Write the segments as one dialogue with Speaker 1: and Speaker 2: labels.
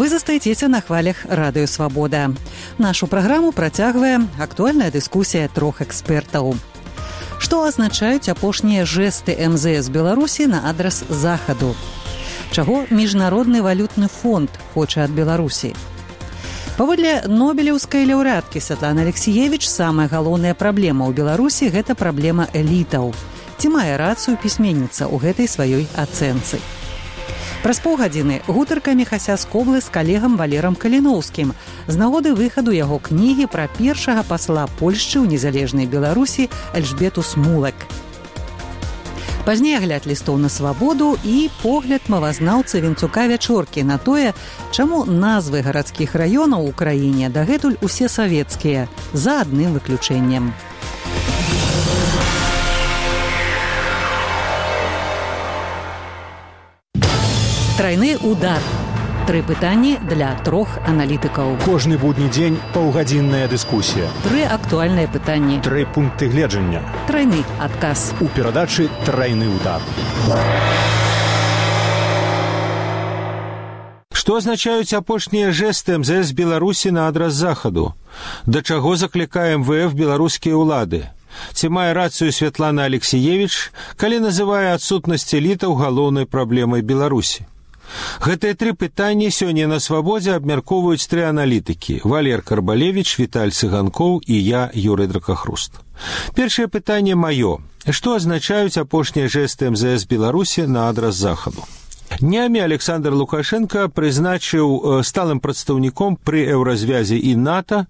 Speaker 1: Вы застаецеся на хвалях Радыё Свабода. Нашу праграму працягвае актуальная дыскусія трох экспертаў. Што азначаюць апошнія жэсты МЗС Беларусі на адрас захаду? Чаго Міжнародны валютны фонд хоча ад Беларусі? Паводле нобелеўскай лаўрэаткі Святланы Алексіевіч, самая галоўная праблема ў Беларусі – гэта праблема элітаў. Ці мае рацыю пісьменніца ў гэтай сваёй ацэнцы? Праз паўгадзіны гутарка Міхася Скоблы з калегам Валерам Каліноўскім з нагоды выхаду яго кнігі пра першага пасла Польшчы ў незалежнай Беларусі Эльжбету Смулак. Пазней агляд лістоў на свабоду і погляд мовазнаўцы Вінцука Вячоркі на тое, чаму назвы гарадскіх раёнаў у краіне дагэтуль усе савецкія, за адным выключэннем. Трайны удар. Тры пытанні для трох аналітыкаў.
Speaker 2: Кожны будні дзень паўгадзінная дыскусія.
Speaker 1: Тры актуальныя пытанні.
Speaker 2: Тры пункты гледжання.
Speaker 1: Трайны адказ.
Speaker 2: У перадачы «Трайны удар».
Speaker 3: Што азначаюць апошнія жэсты МЗС Беларусі на адрас захаду? Да чаго заклікае МВФ беларускія ўлады? Ці мае рацыю Святлана Алексіевіч, калі называе адсутнасць элітаў галоўнай праблемай Беларусі? Гэтыя тры пытанні сёння на свабодзе абмяркоўваюць тры аналітыкі – Валер Карбалевіч, Віталь Цыганкоў і я, Юрый Дракахруст. Першае пытанне маё. Што азначаюць апошнія жэсты МЗС Беларусі на адрас захаду? Днямі Александр Лукашенко прызначыў сталым прадстаўніком пры еўразвязе і НАТО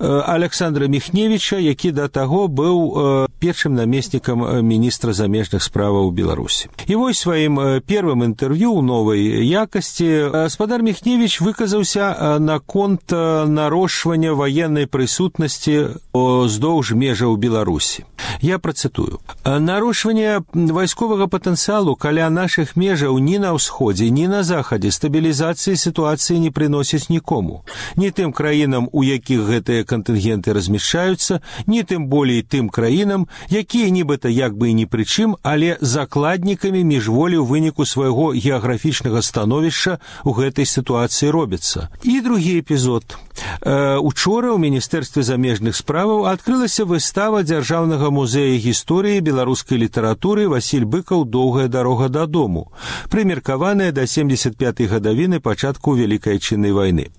Speaker 3: Александра Міхневіча, які да таго быў першым намеснікам міністра замежных справаў Беларусі. І вось сваім первым інтэрв'ю ў новай якасці гаспадар Міхневіч выказаўся наконт нарошчвання ваеннай прысутнасці ўздоўж межаў Беларусі. Я працытую. Нарошчванне вайсковага патэнцыялу каля нашых межаў ні на ўсходзе, ні на захадзе стабілізацыі сітуацыі не прыносіць нікому. Ні тым краінам, у якіх гэтыя кантынгенты размяшчаюцца, ні тым болей тым краінам, якія нібыта як бы і ні пры чым, але закладнікамі міжволі ў выніку свайго геаграфічнага становішча ў гэтай сітуацыі робяцца. І другі эпізод. Учора ў Міністэрстве замежных справаў адкрылася выстава Дзяржаўнага музея гісторыі беларускай літаратуры «Васіль Быкаў. Доўгая дарога дадому», прымеркаваная да 75-й гадавіны пачатку Вялікай Адчыннай вайны.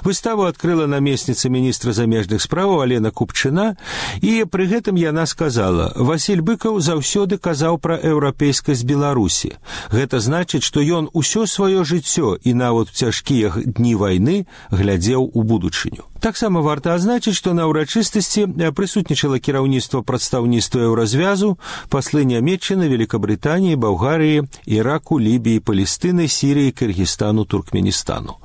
Speaker 3: Выставу адкрыла намесніца міністра замежных справаў Алена Купчына, і пры гэтым яна сказала: «Васіль Быкаў заўсёды казаў пра еўрапейскасць Беларусі. Гэта значыць, што ён усё сваё жыццё і нават у цяжкія дні вайны глядзеў у будучыню». Таксама варта адзначыць, што на ўрачыстасці прысутнічала кіраўніцтва прадстаўніцтва еўразвязу, паслы Нямецчыны, Великабрытаніі, Балгарыі, Іраку, Лібіі, Палестыны, Сірыі, Кыргызстану, Туркменістану.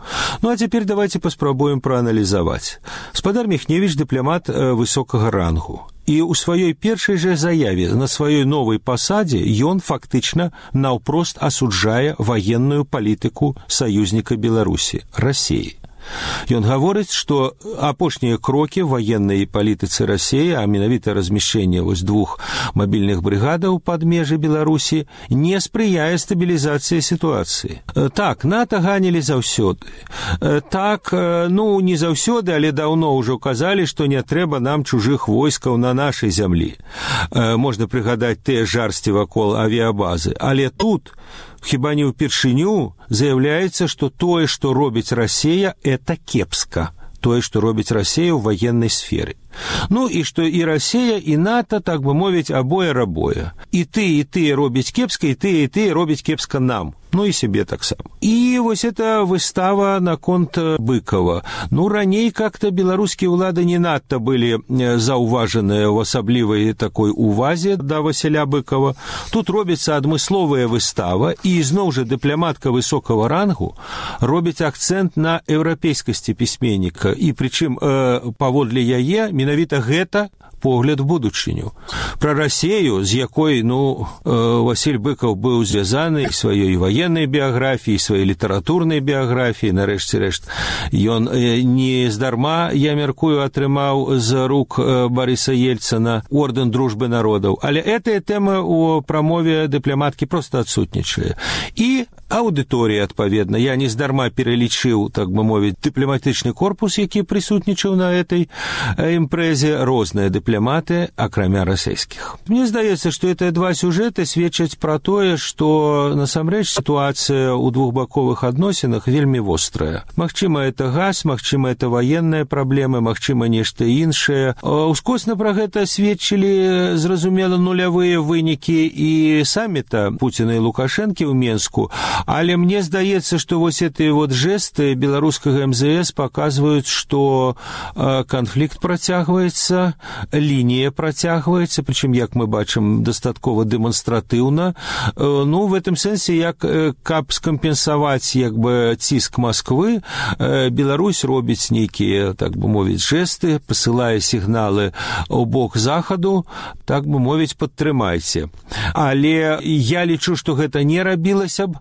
Speaker 3: Ну а цяпер давайте паспрабуем прааналізаваць. Гаспадар Міхневіч дыпламат высокага рангу. І ў сваёй першай жа заяве на сваёй новай пасадзе ён фактычна наўпрост асуджае ваенную палітыку саюзніка Беларусі – Расіі. Ён гаворыць, што апошнія крокі ваеннай палітыцы Расіі, а менавіта размяшчэнне двух мабільных брыгадаў пад межы Беларусі, не спрыяе стабілізацыі сітуацыі. Так, НАТО ганілі заўсёды. Так, не заўсёды, але даўно ўжо казалі, што не трэба нам чужых войскаў на нашай зямлі. Можна прыгадаць тыя жарсці вакол авіябазы. Але тут хіба не ўпершыню заяўляецца, што тое, што робіць Расія, это кепска. Тое, што робіць Расія ў ваеннай сферы. Ну і што і Расія, і НАТО, так бы мовіць, абое-рабое. І тыя робяць кепска, і тыя робяць кепска нам. Ну і себе таксама. І вось эта выстава наконт Быкова. Раней как-то беларускія ўлады не надта былі заўважаныя ў асаблівай такой увазе да Васіля Быкова. Тут робіцца адмысловая выстава, і зноў жа дыпламатка высокага рангу робіць акцэнт на еўрапейскасці пісьменніка. І прычым паводле яе менавіта гэта погляд в будучыню. Пра Расею, з якой, Васіль Быкаў быў звязаны сваёй ваеннай біяграфіяй, сваёй літаратурнай біяграфіяй, нарэшце рэшт. Ён не здарма, я мяркую, атрымаў з рук Барыса Ельцына ордэн дружбы народаў. Але гэтая тэма ў прамове дыпламаткі проста адсутнічае. І аўдыторыя, адпаведна. Я не здарма пералічыў, так бы мовіць, дыпламатычны корпус, які прысутнічаў на этой імпрэзе, розныя дыпламаты, акрамя расейскіх. Мне здаецца, што гэтыя два сюжэты сведчаць пра тое, што насамрэч сітуацыя ў двухбаковых адносінах вельмі вострая. Магчыма, это газ, магчыма, это ваенныя праблемы, магчыма, нешта іншае. Ускосна пра гэта сведчылі, зразумела, нулявыя вынікі і самміта Пуціна і Лукашэнкі ў Менску, але мне здаецца, што вось гэтыя жэсты беларускага МЗС паказваюць, што канфлікт працягваецца, лінія працягваецца, прычым, як мы бачым, дастаткова дэманстратыўна. В гэтым сэнсе, як каб скампенсаваць ціск Масквы, Беларусь робіць нейкія, так бы мовіць, жэсты, пасылае сігналы ў бок захаду, так бы мовіць, падтрымайце. Але я лічу, што гэта не рабілася б,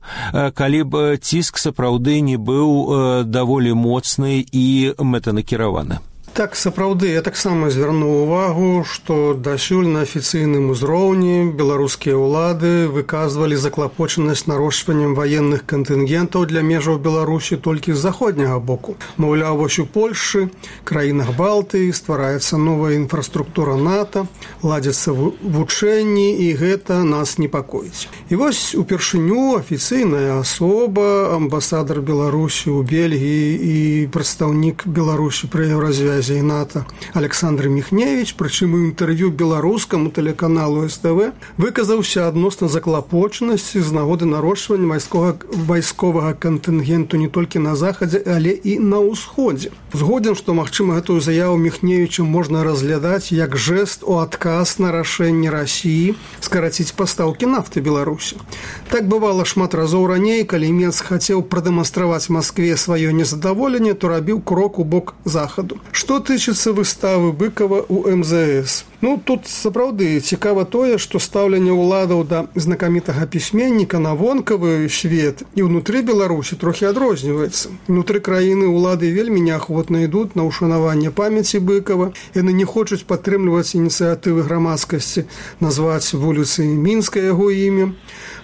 Speaker 3: калі б ціск сапраўды не быў даволі моцны і мэтанакіраваны.
Speaker 4: Так, сапраўды, я таксама звярнуў увагу, што дасюль на афіцыйным узроўні беларускія ўлады выказвалі заклапочанасць нарошчваннем ваенных кантынгентаў для межаў Беларусі толькі з заходняга боку. Маўляў, вось у Польшчы, краінах Балтыі ствараецца новая інфраструктура НАТО, ладзяцца вучэнні, і гэта нас непакоіць. І вось упершыню афіцыйная асоба, амбасадар Беларусі ў Бельгіі і прадстаўнік Беларусі пры Еўразвязе і НАТО Александр Міхневіч, прычым у інтэрв'ю беларускаму тэлеканалу СТВ, выказаўся адносна заклапочанасці з нагоды нарошчвання вайсковага кантынгенту не толькі на захадзе, але і на ўсходзе. Згоден, што, магчыма, гэтую заяву Міхневіча можна разглядаць як жэст у адказ на рашэнне Расіі скараціць пастаўкі нафты Беларусі. Так бывала шмат разоў раней, калі Мінск хацеў прадэманстраваць Маскве сваё незадаволенне, то рабіў крок у бок захаду. Што тычыцца выставы Быкава ў МЗС? Тут сапраўды цікава тое, што стаўленне ўладаў да знакамітага пісьменніка на вонкавы свет і ўнутры Беларусі трохі адрозніваецца. Унутры краіны ўлады вельмі неахвотна ідуць на ўшанаванне памяці Быкава. Яны не хочуць падтрымліваць ініцыятывы грамадскасці назваць вуліцы Мінска яго імя.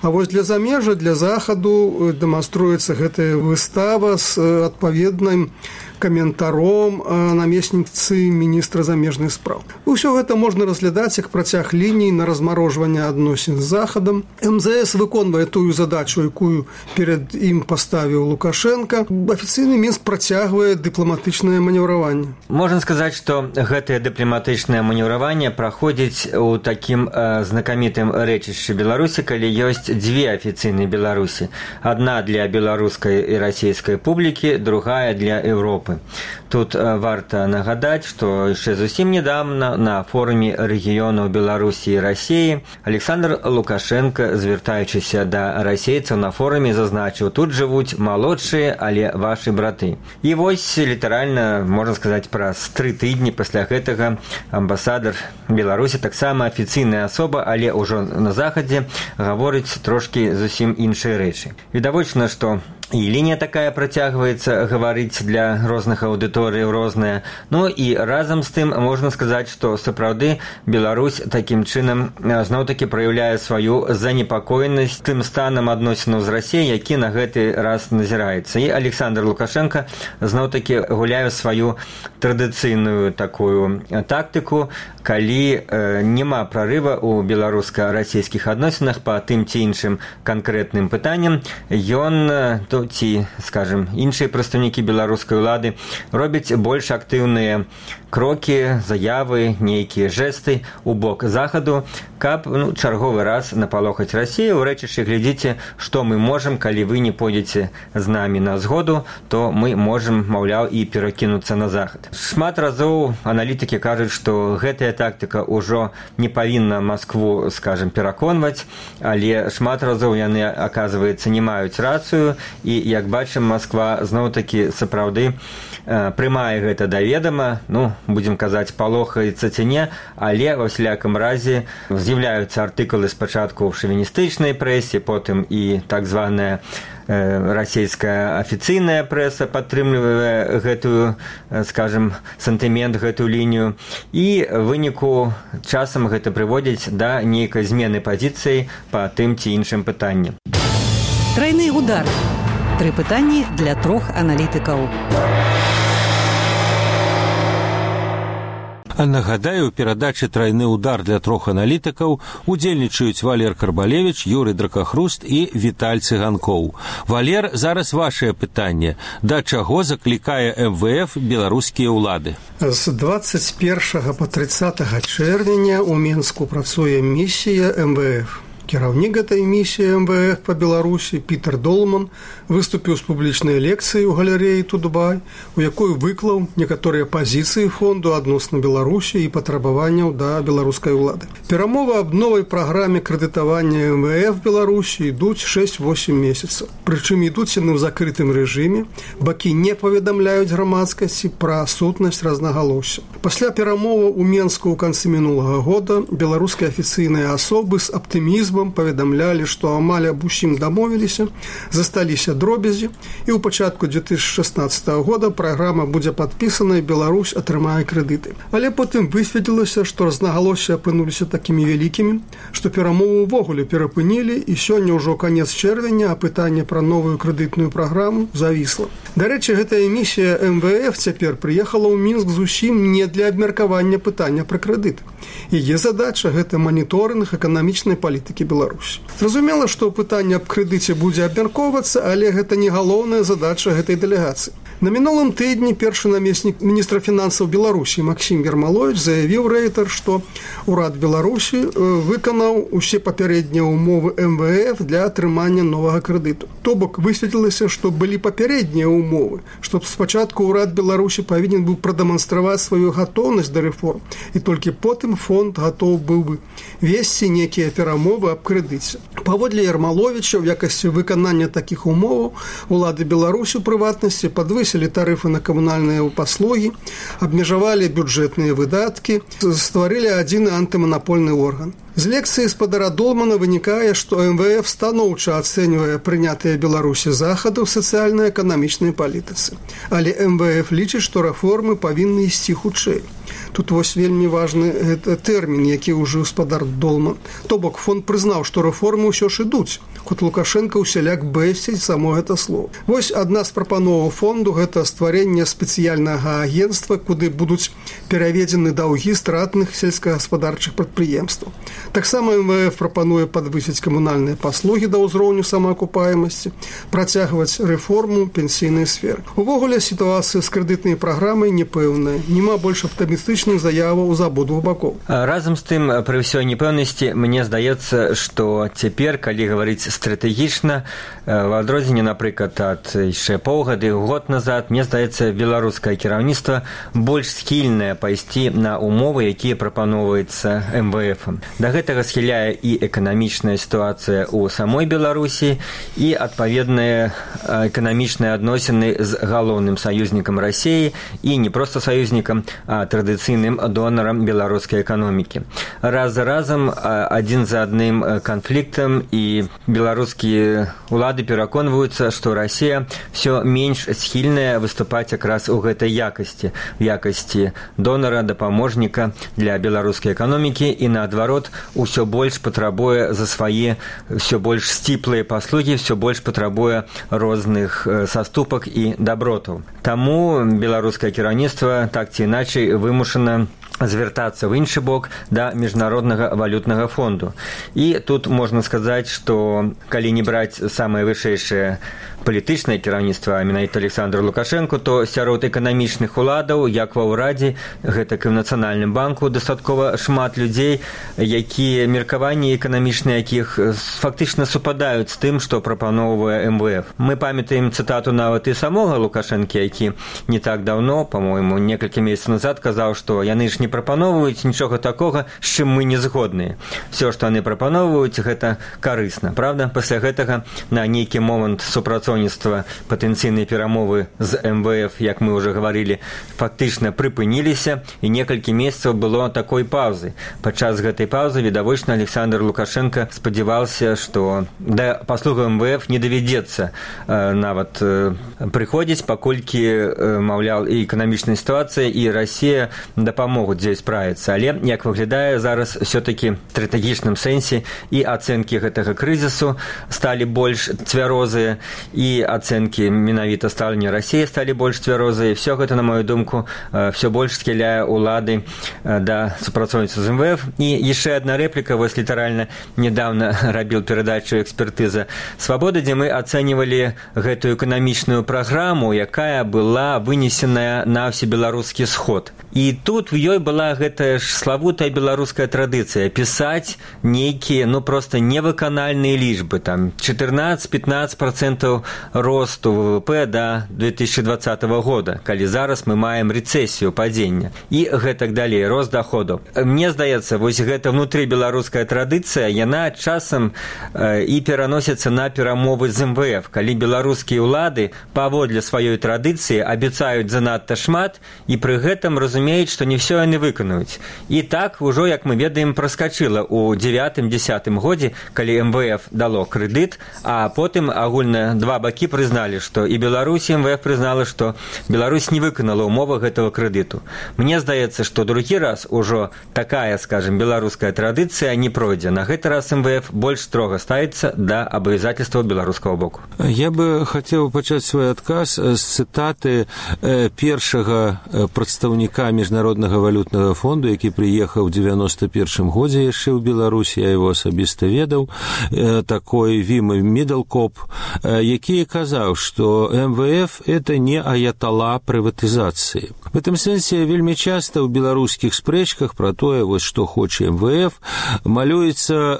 Speaker 4: А вось для замежжа, для захаду дэманструецца гэтая выстава з адпаведным каментаром намесніцы міністра замежных спраў. Усё гэта можна разглядаць як працяг ліній на размарожванне адносін з захадам. МЗС выконвае тую задачу, якую перад ім паставіў Лукашенко. Афіцыйны Мінск працягвае дыпламатычнае манеўраванне.
Speaker 5: Можна сказаць, што гэтае дыпламатычнае манеўраванне праходзіць у такім знакамітым рэчышчы Беларусі, калі ёсць дзве афіцыйныя Беларусі. Адна для беларускай і расійскай публікі, другая для Еўропы. Тут варта нагадаць, што яшчэ зусім недавно на форуме рэгіёнаў Беларусі і Расіі Александр Лукашенко, звяртаючыся да расейцаў на форуме, зазначыў: тут жывуць малодшыя, але вашы браты. І вось літаральна, можна сказаць, праз 3 тыдні пасля гэтага амбасадар Беларусі, таксама афіцыйная асоба, але ўжо на захадзе, гаворыць трошкі зусім іншыя рэчы. Відавочна, што і лінія такая працягваецца гаварыць для розных аўдыторый розная. І разам з тым можна сказаць, што сапраўды Беларусь такім чынам зноў-такі праяўляе сваю занепакоенасць тым станам адносінаў з Расіяй, які на гэты раз назіраецца. І Александр Лукашенко зноў-такі гуляе сваю традыцыйную такую тактыку, калі няма прарыва ў беларуска-расійскіх адносінах па тым ці іншым канкрэтным пытанням, ён ці, скажем, іншыя прадстаўнікі беларускай улады робяць больш актыўныя крокі, заявы, нейкія жэсты ў бок захаду, каб чарговы раз напалохаць Расію. У рэчышчы глядзіце, што мы можам, калі вы не пойдзеце з намі на згоду, то мы можам, маўляў, і перакінуцца на захад. Шмат разоў аналітыкі кажуць, што гэтая тактыка ўжо не павінна Маскву, скажем, пераконваць, але шмат разоў яны, аказваецца, не маюць рацыю, і, як бачым, Масква зноў-такі сапраўды прымае гэта да ведама, будзем казаць, палохаецца ці не, але ва ўсялякім разе з'яўляюцца артыкулы спачатку ў шавіністычнай прэсе, потым і так званая расійская афіцыйная прэса падтрымлівае гэтую, скажем, сантымент, гэтую лінію, і выніку часам гэта прыводзіць да нейкай змены пазіцыі па тым ці іншым пытанням.
Speaker 1: Трайны удар. 3 пытанні для 3 аналітыкаў.
Speaker 3: Нагадаю, у перадачы «Трайны удар» для 3 аналітыкаў удзельнічаюць Валер Карбалевіч, Юрый Дракахруст і Віталь Цыганкоў. Валер, зараз вашае пытанне. Да чаго заклікае МВФ беларускія ўлады?
Speaker 4: З 21 па 30 чэрвеня ў Мінску працуе місія МВФ. Кіраўнік гэтай місіі МВФ па Беларусі Пітер Долман выступіў з публічнай лекцыяй у галерэі Тудбай, у якой выклаў некаторыя пазіцыі фонду адносна Беларусі і патрабаванняў да беларускай улады. Перамовы аб новай праграме крэдытавання МВФ Беларусі ідуць 6-8 месяцаў. Прычым ідуць яны ў закрытым рэжыме, бакі не паведамляюць грамадскасці пра сутнасць рознагалоссяў. Пасля перамоваў у Менску ў канцы мінулага года беларускія афіцыйныя асобы з аптымізмам паведамлялі, што амаль аб усім дамовіліся, засталіся дробязі, і ў пачатку 2016 года праграма будзе падпісана і Беларусь атрымае крэдыты. Але потым высветлілася, што рознагалоссі апынуліся такімі вялікімі, што перамову ўвогуле перапынілі, і сёння ўжо канец чэрвеня, а пытанне пра новую крэдытную праграму завісла. Дарэчы, гэтая місія МВФ цяпер прыехала ў Мінск зусім не для абмеркавання пытання пра крэдыт. Яе задача – гэта маніторынг эканамічнай палітыкі Беларусі. Зразумела, што пытанне аб крэдыце будзе абмяркоўвацца, але гэта не галоўная задача гэтай дэлегацыі. На мінулым тыдні першы намеснік міністра фінансаў Беларусі Максім Ермалович заявіў рэйтар, што ўрад Беларусі выканаў усе папярэднія ўмовы МВФ для атрымання новага крэдыту. То бок высветлілася, што былі папярэднія ўмовы, што спачатку ўрад Беларусі павінен быў прадэманстраваць сваю гатоўнасць да рэформ, і толькі потым фонд гатоў быў бы весці некія перамовы аб крэдыце. Паводле Ермаловича, ў якасці выканання такіх умоваў улады Беларусі, у прыватнасці, падвысілі тарыфы на камунальныя паслугі, абмежавалі бюджэтныя выдаткі, стварылі адзіны антыманапольны орган. З лекцыі спадара Долмана вынікае, што МВФ станоўча ацэньвае прынятыя Беларусі захады ў сацыяльна-эканамічнай палітыцы. Але МВФ лічыць, што рэформы павінны ісці хутчэй. Тут вось вельмі важны тэрмін, які ўжыў спадар Долман. То бок фонд прызнаў, што рэформы ўсё ж ідуць, хоць Лукашенко ўсяляк бэсціць само гэта слово. Вось адна з прапановаў фонду – гэта стварэнне спецыяльнага агенцтва, куды будуць пераведзены даўгі стратных сельскагаспадарчых прадпрыемстваў. Таксама МВФ прапануе падвысіць камунальныя паслугі да ўзроўню самаакупаемасці, працягваць рэформу пенсійнай сферы. Увогуле сітуацыя з крэдытнай праграмай непэўная, няма больш аптымістычных заяваў з абодвух бакоў.
Speaker 5: Разам з тым, пры ўсёй непэўнасці, мне здаецца, што цяпер, калі гаварыць стратэгічна, в адрозненне, напрыклад, ад яшчэ паўгады, год назад, мне здаецца, беларускае кіраўніцтва больш схільнае пайсці на умовы, якія прапаноўваюцца МВФ. Да гэтага схіляе і эканамічная сітуацыя ў самой Беларусі, і адпаведныя эканамічныя адносіны з галоўным саюзнікам Расіі, і не проста саюзнікам, а традыцыйным донарам беларускай эканомікі. Раз за разам, адзін за адным канфліктам, і беларускія улады пераконваюцца, што Расія ўсё менш схільная выступаць якраз у гэтай якасці, в якасці донара, дапаможніка для беларускай эканомікі, і наадварот, усё больш патрабуе за свае ўсё больш сціплыя паслугі, ўсё больш патрабуе розных саступак і дабротаў. Таму беларускае кіраўніцтва так ці іначай вымушана звяртацца ў іншы бок да міжнароднага валютнага фонду. І тут можна сказаць, што калі не браць самае вышэйшае палітычнае кіраўніцтва, менавіта Александр Лукашенко, то сярод эканамічных уладаў, як ва ўрадзе, гэтак і ў Нацыянальным банку, дастаткова шмат людзей, якія меркаванні эканамічныя якіх фактычна супадаюць з тым, што прапаноўвае МВФ. Мы памятаем цытату нават і самога Лукашэнкі, які не так даўно, па-мойму, некалькі месяцаў назад казаў, што яны ж не прапаноўваюць, нічога такога, з чым мы не згодныя. Все, што яны прапаноўваюць, гэта карысна, правда? Пасля гэтага на нейкі момант супрацоўніцтва патэнцыйнай перамовы з МВФ, як мы ўжо гаварылі, фактычна прыпыніліся, і некалькі месяцаў было такой паўзы. Падчас гэтай паўзы відавочна Александр Лукашенко спадзяваўся, што да паслугаў МВФ не давядзецца нават прыходзіць, паколькі, маўляў, і эканамічная сітуацыя, і Расія дапамогуць дзе справіцца. Але, як выглядае, зараз все-таки в стратэгічным сэнсе і ацэнкі гэтага крызісу сталі больш цвярозыя, і ацэнкі менавіта стаўлення Расіі сталі больш цвярозыя. Все гэта, на мою думку, все больш схіляе улады да супрацоўніцтва з МВФ. І яшчэ одна рэпліка, вось літаральна недавно рабіў перадачу «Экспертыза Свабоды», дзе мы ацэньвалі гэтую эканамічную праграму, якая была вынесеная на всебеларускі сход. І тут в ёй была гэтая ж славутая беларуская традыцыя пісаць нейкія, просто невыканальныя лічбы, там 14-15% росту ВВП до 2020 года, калі зараз мы маем рэцэсію, падзення, і гэтак далей, рост доходу. Мне здаецца, вось гэта внутры беларуская традыцыя, яна часам і пераносіцца на перамовы з МВФ, калі беларускія ўлады паводле сваёй традыцыі абяцаюць занадта шмат, і пры гэтым разумеюць, што не ўсё яны выканаюць. І так ужо, як мы ведаем, праскачыла ў 9-10 годзе, калі МВФ дало крэдыт, а потым агульна два бакі прызналі, што і Беларусь, і МВФ прызнала, што Беларусь не выканала ўмовы гэтага крэдыту. Мне здаецца, што другі раз ужо такая, скажем, беларуская традыцыя не пройдзе. На гэты раз МВФ больш строга ставіцца да абавязательстваў беларускага боку.
Speaker 3: Я бы хацеў пачаць свой адказ з цытаты першага прадстаўніка Міжнароднага валютнага фонду, які прыехаў у 91 годзе яшчэ ў Беларусі, я его асабіста ведаў, такой Вім Мідлкоп, які казаў, што МВФ это не аятала прыватызацыі. В этом сэнсе вельмі часта ў беларускіх спрэчках пра тое, вось што хоча МВФ, малюецца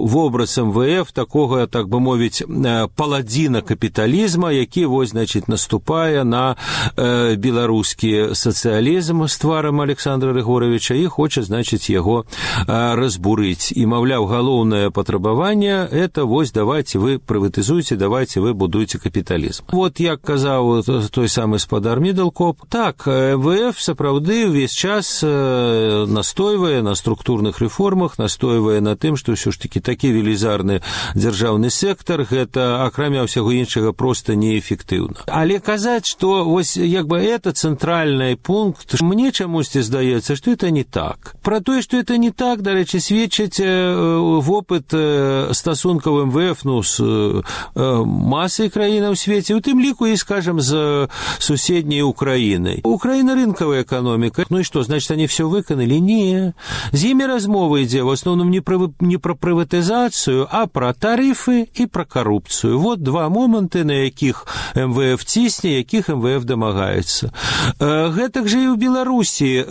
Speaker 3: вобраз МВФ такога, так бы мовіць, паладзіна капіталізма, які вось, значит, наступае на беларускі сацыялізм з тварам Александра Григоровича і хоча, значит, яго разбурыць. І, маўляў, галоўнае патрабаванне это вось давайте вы прыватызуйце, давайте вы будуйце капіталізм. Вот як казаў той самы спадар Мідлкоп, так, МВФ сапраўды ўвесь час настойвае на структурных рэформах, настойвае на тым, што ўсё ж такі такі велізарны дзяржаўны сектар, гэта, акрамя ўсяго іншага, проста неэфектыўна. Але казаць, што вось як бы это цэнтральны пункт, мне чамусьці здаецца, што это не так. Пра тое, што это не так, дарэчы, сведчыць вопыт стасункаў МВФ з масай краінаў у свеце, у тым ліку і, скажем, з суседняй Украінай. Украіна рынкавая эканоміка. Ну і што, значит, они все выканалі? Не. З імі размова ідзе в основном не пра прыватызацыю, а пра тарыфы і пра карупцыю. Вот два моманты, на якіх МВФ цісне, якіх МВФ дамагаецца. Гэтак жа і ў Беларусі.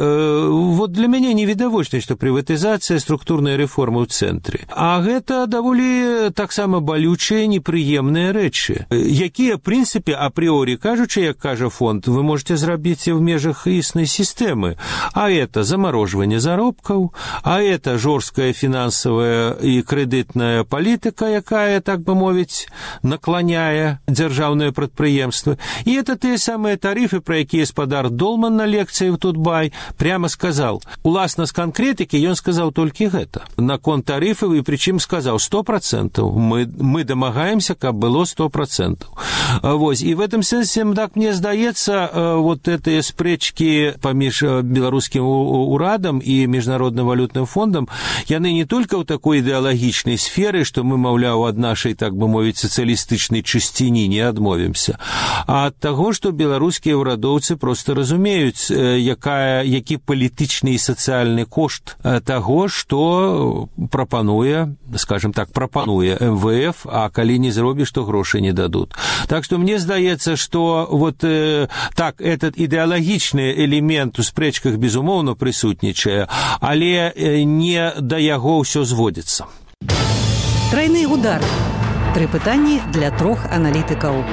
Speaker 3: Вот для мяне невідавочна, што прыватызацыя, структурная рэформа ў цэнтры. А гэта даволі таксама балючыя, непрыемныя рэчы, якія, в прынцыпе, апрыорі кажучы, як кажа фонд, вы можете зрабіць в межах існай сістэмы. А это замороживание заробкаў, а это жорсткая фінансавая і крэдытная палітыка, якая, так бы мовіць, наклоняе дзяржаўныя прадпрыемствы. І это тыя самыя тарыфы, пра якія спадар Долман на лекцыі в Тутбай прямо сказал. Уласна з канкрэтыкі ён сказаў толькі гэта. Наконт тарыфаў, і прычым сказаў 100%. Мы дамагаемся, каб было 100%. Вось. І в этом сэнсе, так мне здаецца, вот этыя спрэчкі паміж беларускім урадам і Міжнародным валютным фондам, яны не толькі ў такой ідэалагічнай сферы, што мы, маўляў, ад нашай, так бы мовіць, сацыялістычнай чысціні не адмовімся, а ад таго, што беларускія ўрадоўцы проста разумеюць, які палітычны і сацыяльны кошт таго, што прапануе, скажем так, прапануе МВФ, а калі не зробіш, то грошы не дадуць. Так што мне здаецца, што вот так, этот ідэалагічны элемент у спрэчках, безумоўна, прысутнічае, але не да яго ўсё зводзіцца.
Speaker 1: Тройны удар. 3 пытанні для 3 аналітыкаў.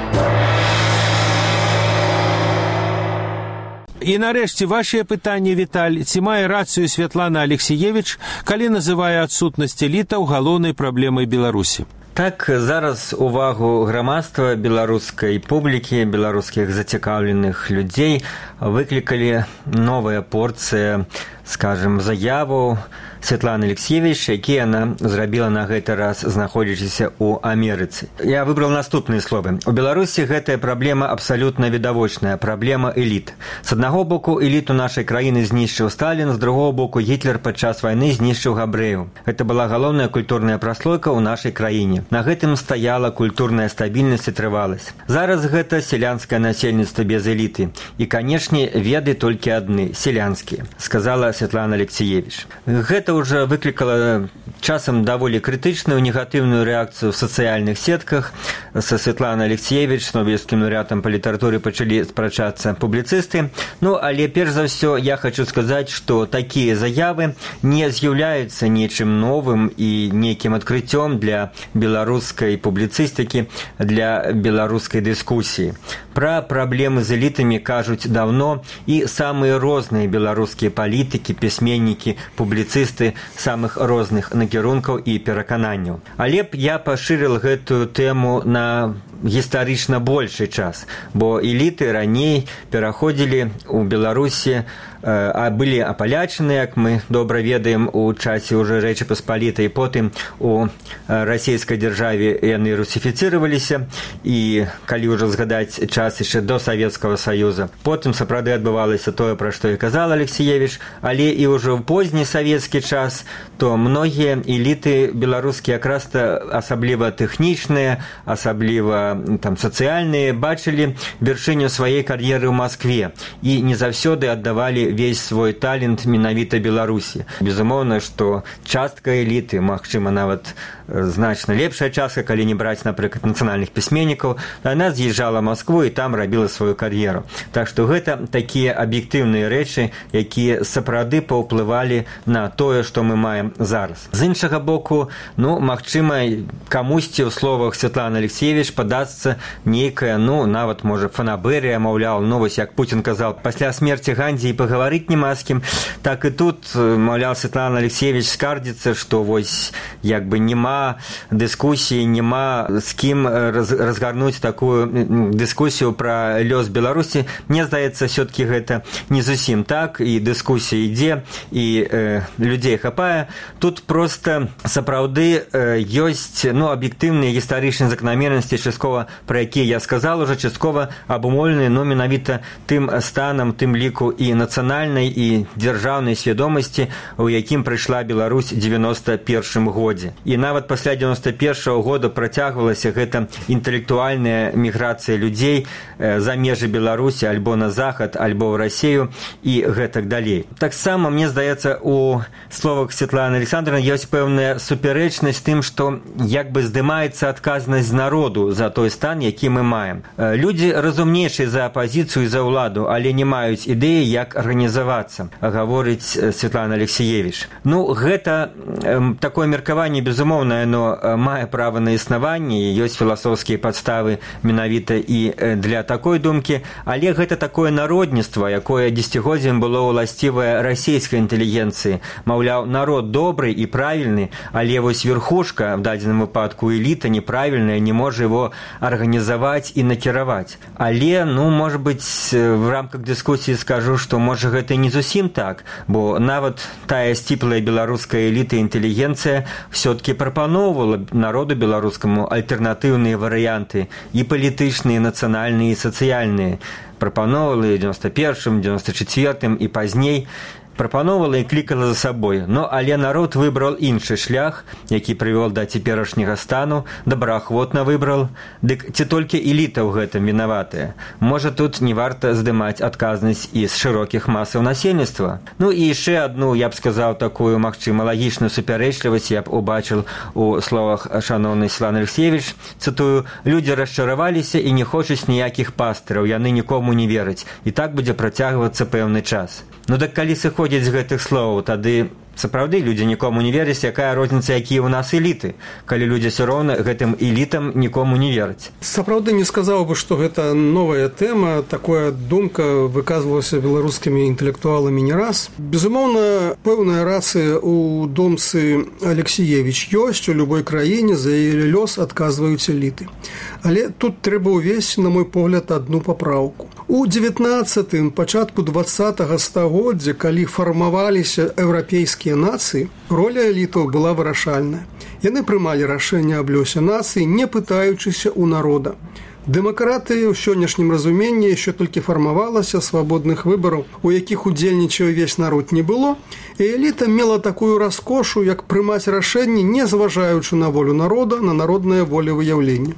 Speaker 3: І нарэшце вашае пытанне, Віталь, ці мае рацыю Святлана Алексіевіч, калі называе адсутнасць элітаў галоўнай праблемай Беларусі?
Speaker 5: Так, зараз увагу грамадства, беларускай публікі, беларускіх зацікаўленых людзей выклікалі новая порцыя, скажем, заяву Святланы Алексіевіч, які яна зрабіла на гэты раз, знаходзячыся ў Амерыцы. Я выбрал наступныя словы. У Беларусі гэтая праблема абсалютна відавочная, праблема эліт. З аднаго боку, эліту нашай краіны знішчыў Сталін, з другого боку, Гітлер падчас вайны знішчыў габрэяў. Гэта была галоўная культурная праслойка ў нашай краіне. На гэтым стаяла культурная стабільнасць і трываласць. Зараз гэта сялянскае насельніцтва без эліты. І, канешне, веды толькі адны, сялянскія, сказала Святлана Алексіевіч. Гэта уже выклікала часам даволі крытычную негатыўную рэакцыю в сацыяльных сетках. Са Святланай Алексіевіч, нобелевскім лаўрэатам па літаратуры, пачалі спрачацца публіцысты. Але перш за ўсё я хочу сказаць, што такія заявы не з'яўляюцца нечым новым і нейкім адкрыццём для беларускай публіцыстыкі, для беларускай дыскусіі. Пра праблемы з элітамі кажуць даўно і самыя розныя беларускія палітыкі, пісьменнікі, публіцысты самых розных накірункаў і перакананняў. Але б я пашырыў гэтую тэму на гістарычна большы час, бо эліты раней пераходзілі ў Беларусі, а былі апалячаны, як мы добра ведаем, у часе ўжо Рэчы Паспалітай, потым у расійскай дзяржаве яны русіфіцыраваліся, і калі ўжо згадаць час яшчэ до Савецкага Саюза, потым сапраўды адбывалася тое, пра што і казала Алексіевіч, але і ўжо ў позні савецкі час, то многія эліты беларускія, якраз-то асабліва тэхнічныя, асабліва сацыяльныя, бачылі вяршыню сваёй кар'еры ў Маскве і не заўсёды аддавалі весь свой талент менавіта Беларусі. Безумоўна, што частка эліты, магчыма, нават значна лепшая частка, калі не браць, напрыклад, нацыянальных пісьменнікаў, яна з'язджала ў Маскву і там рабіла сваю кар'еру. Так што гэта такія аб'ектыўныя рэчы, якія сапраўды паўплывалі на тое, што мы маем зараз. З іншага боку, магчыма, камусьці ў словах Святланы Алексіевіч падасца нейкая, нават, можа, фанабэрыя, маўляў, вось як Путін казаў, пасля смерці Гандзі і пагаварыць няма з кім, так і тут, маўляў, Святлана Алексіевіч скардзіцца, што вось як бы няма дыскусіі, няма з кім разгарнуць такую дыскусію пра лёс Беларусі. Мне здаецца, все-таки гэта не зусім так, і дыскусія ідзе, і людзей хапае. Тут проста сапраўды ёсць аб'ектыўныя гістарычныя закономернасці, часткова пра якія я сказал уже, часткова абумоўленыя менавіта тым станам, тым ліку і нацыянальнай, і дзяржаўнай свядомасці, у якім прыйшла Беларусь 91 годзе. І нават пасля 91 года працягвалася гэта інтэлектуальная міграцыя людзей за межы Беларусі, альбо на захад, альбо ў Расію і гэтак далей. Таксама, мне здаецца, у словах Святланы Александровны ёсць пэўная супярэчнасць тым, што як бы здымаецца адказнасць народу за той стан, які мы маем. Людзі разумнейшыя за апазіцыю і за ўладу, але не маюць ідэі, як арганізавацца, гаворыць Святлана Алексіевіч. Гэта такое меркаванне, безумоўна, оно мае права на існаванне, ёсць філасофскія падставы менавіта і для такой думкі, але гэта такое народніцтва, якое дзесяцігоддзям было ўласцівае расійскай інтэлігенцыі. Маўляў, народ добры і правільны, але вось верхушка, в дадзеным выпадку эліта, неправільная, не можа его арганізаваць і накіраваць. Але, можа быць, в рамках дыскусіі скажу, што можа гэта не зусім так, бо нават тая сціплая беларуская эліта і інтэлігенцыя все-таки прапаноўвала народу беларускаму альтэрнатыўныя варыянты, і палітычныя, і нацыянальныя, і сацыяльныя. Прапаноўвала і 91-м, 94-м і пазней, прапаноўвала і клікала за сабой. Але народ выбраў іншы шлях, які прывёл да цяперашняга стану, добраахвотна выбраў. Дык ці толькі эліта ў гэтым вінаватая? Можа, тут не варта здымаць адказнасць і з шырокіх масаў насельніцтва? І яшчэ адну, я б сказаў, такую, магчыма, лагічную супярэчлівасць я б убачыў у словах шаноўнай Святланы Алексіевіч. Цытую: «Людзі расчараваліся і не хочуць ніякіх пастыраў, яны нікому не вераць. І так будзе працягвацца пэўны час». Так калі сыходзіць зыходзіць з гэтых словаў, тады сапраўды людзі нікому не вераць, якая розніца, якія ў нас эліты, калі людзі ўсё роўна гэтым элітам нікому не вераць.
Speaker 4: Сапраўды не сказаў бы, што гэта новая тэма, такая думка выказвалася беларускімі інтэлектуаламі не раз. Безумоўна, пэўная рацыя ў думцы Алексіевіч ёсць, у любой краіне за яе лёс адказваюць эліты. Але тут трэба ўвесці, на мой погляд, адну папраўку. У 19-м, пачатку 20-го стагоддзя, калі фармаваліся еўрапейскія нацыі, роля элітаў была вырашальная. Яны прымалі рашэнне аб лёсе нацыі, не пытаючыся ў народа. Дэмакратыя ў сённяшнім разуменні яшчэ толькі фармавалася, свабодных выбараў, у якіх удзельнічаў увесь народ не было, і эліта мела такую раскошу, як прымаць рашэнні, не зважаючы на волю народа, на народнае волевыяўленне.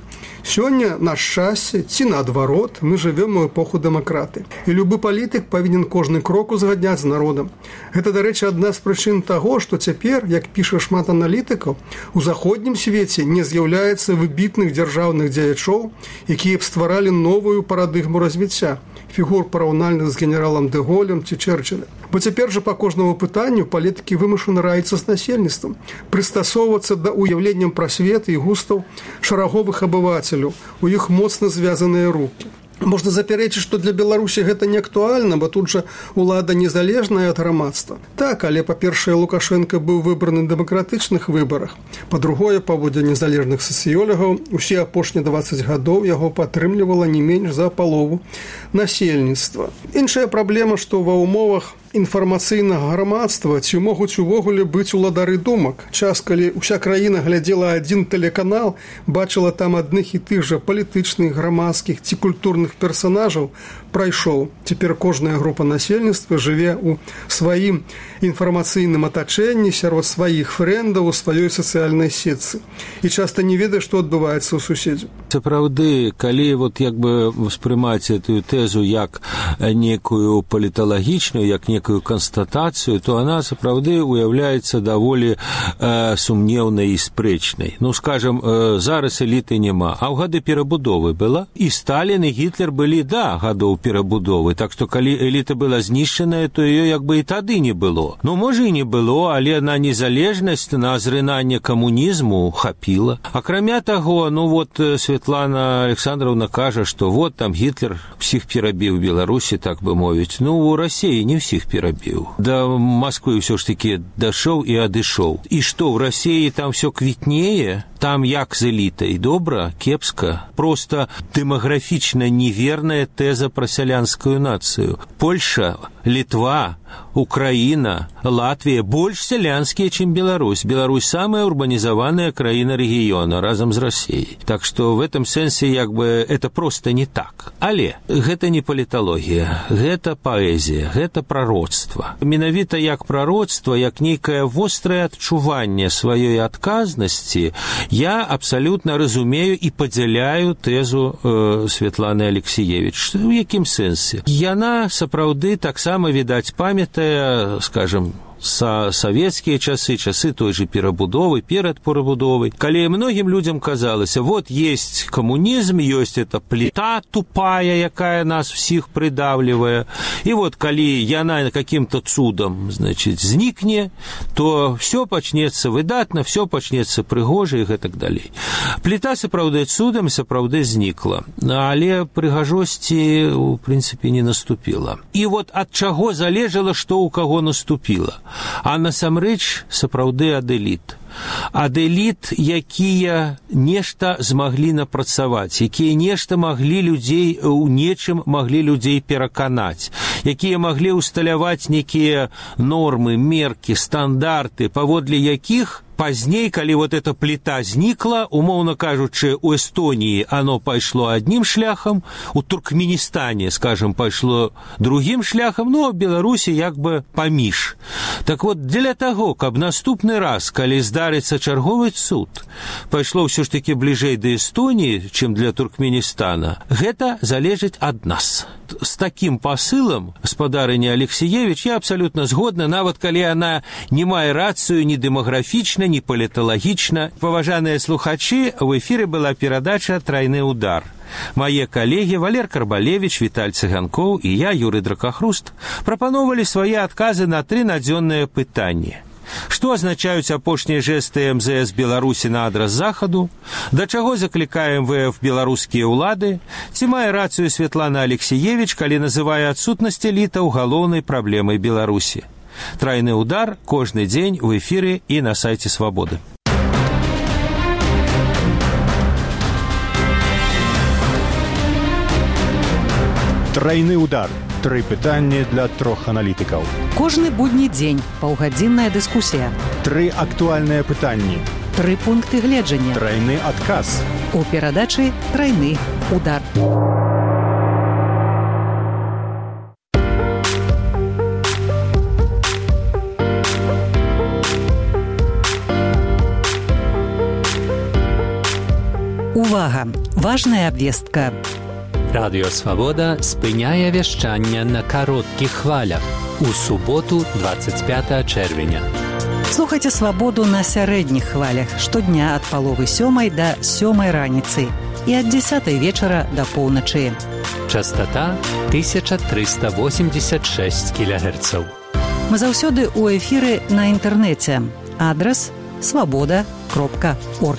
Speaker 4: Сёння, на шчасце, ці наадварот, мы жывём у эпоху дэмакраты. І любы палітык павінен кожны крок узгадняць з народам. Гэта, дарэчы, адна з прычын таго, што цяпер, як піша шмат аналітыкаў, у заходнім свеце не з'яўляецца выбітных дзяржаўных дзеячоў, якія б стваралі новую парадыгму развіцця, фігур параўнальных з генералам дэ Голем ці Чэрчылем. Бо цяпер жа па кожнаму пытанню палітыкі вымушаны раіцца з насельніцтвам, прыстасоўвацца да ўяўленняў пра свет і густаў шараговых абывацеляў, у іх моцна звязаныя рукі. Можна запярэчыць, што для Беларусі гэта не актуальна, бо тут жа ўлада незалежная ад грамадства. Так, але, па-першае, Лукашенко быў выбраны на дэмакратычных выбарах. Па-другое, паводле незалежных сацыёлагаў, усе апошнія 20 гадоў яго падтрымлівала не менш за палову насельніцтва. Іншая праблема, што ва ўмовах інфармацыйнага грамадства ці могуць увогуле быць уладары думак. Час, калі ўся краіна глядзела адзін тэлеканал, бачыла там адных і тых жа палітычных, грамадскіх ці культурных персанажаў, прайшоў. Цяпер кожная група насельніцтва жыве ў сваім інфармацыйным атачэнні сярод сваіх фрэндаў у сваёй сацыяльнай сетцы. І часта не ведае, што адбываецца ў суседзю.
Speaker 3: Сапраўды, калі вот як бы ўспрымаць эту тэзу як некую паліталагічную, як некую констатацию, то она, сапраўды, уяўляецца даволі сумнеўнай і спрэчнай. Ну, скажем, зараз эліты няма, а ў гады перабудовы была. І Сталін, і Гітлер былі, да, гадоў перабудовы. Так што, калі эліта была знішчаная, то ее як бы і тады не было. Ну, можа, і не было, але на незалежнасць, на зрынанне камунізму хапіла. Акрамя таго, ну, вот Светлана Александровна кажа, што вот там Гітлер всіх перабіў Беларусі, так бы мовіць. Ну, у Расіі не всіх перабіў. Да Москвы ўсё ж такі дашоў і адышоў. І што, ў Расіі там всё квітнее? Там як з элітай? Добра? Кепска? Просто дэмаграфічна неверная тэза пра сялянскую нацыю. Польша, Літва, Украина, Латвия больше сялянские, чем Беларусь. Беларусь самая урбанизованная краина региона, разом с Россией. Так что в этом сенсе, як бы, это просто не так. Але гэта не паліталогія, гэта паэзія, гэта пророцтва. Менавіта як пророцтва, як нейкае вострае адчуванне сваёй адказнасці, я абсолютно разумею і падзяляю тэзу Светланы Алексіевіч. У якім сэнсе? Яна сапраўды таксама, відаць, памятае, скажем, савецкія часы, часы той же перабудовы, перад перабудовай, калі многім людзям казалася, вот есть коммунизм, есть эта плита тупая, якая нас всіх придавливае, и вот калі яна каким-то цудом, значит, знікне, то все пачнецца выдатна, все пачнецца прыгожа и гэтак далей. Плита сапраўды цудам сапраўды знікла, але прыгажосці, у прынцыпе, не наступила. И вот ад чаго залежала, што у каго наступила? А насамрэч сапраўды ад эліт. Ад эліт, якія нешта змаглі напрацаваць, якія нешта маглі людзей, у нечым маглі людзей пераканаць, якія маглі ўсталяваць некія нормы, меркі, стандарты, паводле якіх пазней, калі вот эта плита знікла, умоўно кажучы, у Эстонии оно пайшло одним шляхом, у Туркменистане, скажем, пайшло другим шляхом, но в Беларуси як бы паміж. Так вот, для таго, каб наступны раз, калі здарыцца чарговы цуд, пайшло ўсё ж таки бліжэй да Эстонии, чым для Туркменистана, гэта залежыць ад нас. С таким посылом, спадарыня Алексіевіч, я абсолютно згодна, нават калі она не мае рацыю ні дэмаграфічна, ні паліталагічна. Паважаныя слухачы, в эфіры была перадача «Трайны удар». Мае калегі Валер Карбалевіч, Віталь Цыганкоў і я, Юрый Дракахруст, прапановалі свае адказы на 3 надзённыя пытанні. Што азначаюць апошнія жэсты МЗС Беларусі на адрас захаду? Да чаго заклікае МВФ беларускія ўлады? Ці мае рацыю Святлана Алексіевіч, калі называе адсутнасць элітаў галоўнай праблемай Беларусі? Трайны удар кожны дзень у эфіры і на сайце Свабоды.
Speaker 2: Трайны удар. 3 пытанні для 3 аналітыкаў.
Speaker 1: Кожны будні дзень паўгадзінная дыскусія.
Speaker 2: 3 актуальныя пытанні.
Speaker 1: 3 пункты гледжання.
Speaker 2: Трайны адказ.
Speaker 1: У перадачы «Трайны удар». Увага! Важная абвестка.
Speaker 6: Радыё Свабода спыняе вяшчанне на кароткіх хвалях у суботу 25 чэрвеня.
Speaker 1: Слухайце Свабоду на сярэдніх хвалях штодня ад 6:30 да 7:00 раніцы і ад 10:00 вечара да поўначы.
Speaker 6: Частота 1386 кГц.
Speaker 1: Мы заўсёды ў эфіры на інтэрнэце. Адрас swaboda.org.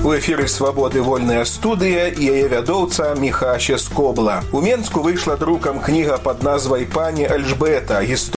Speaker 7: У эфіры «Свабоды» вольная студыя і яе вядоўца Міхася Скобла. У Менску выйшла друкам кніга пад назвай «Пані Альжбета.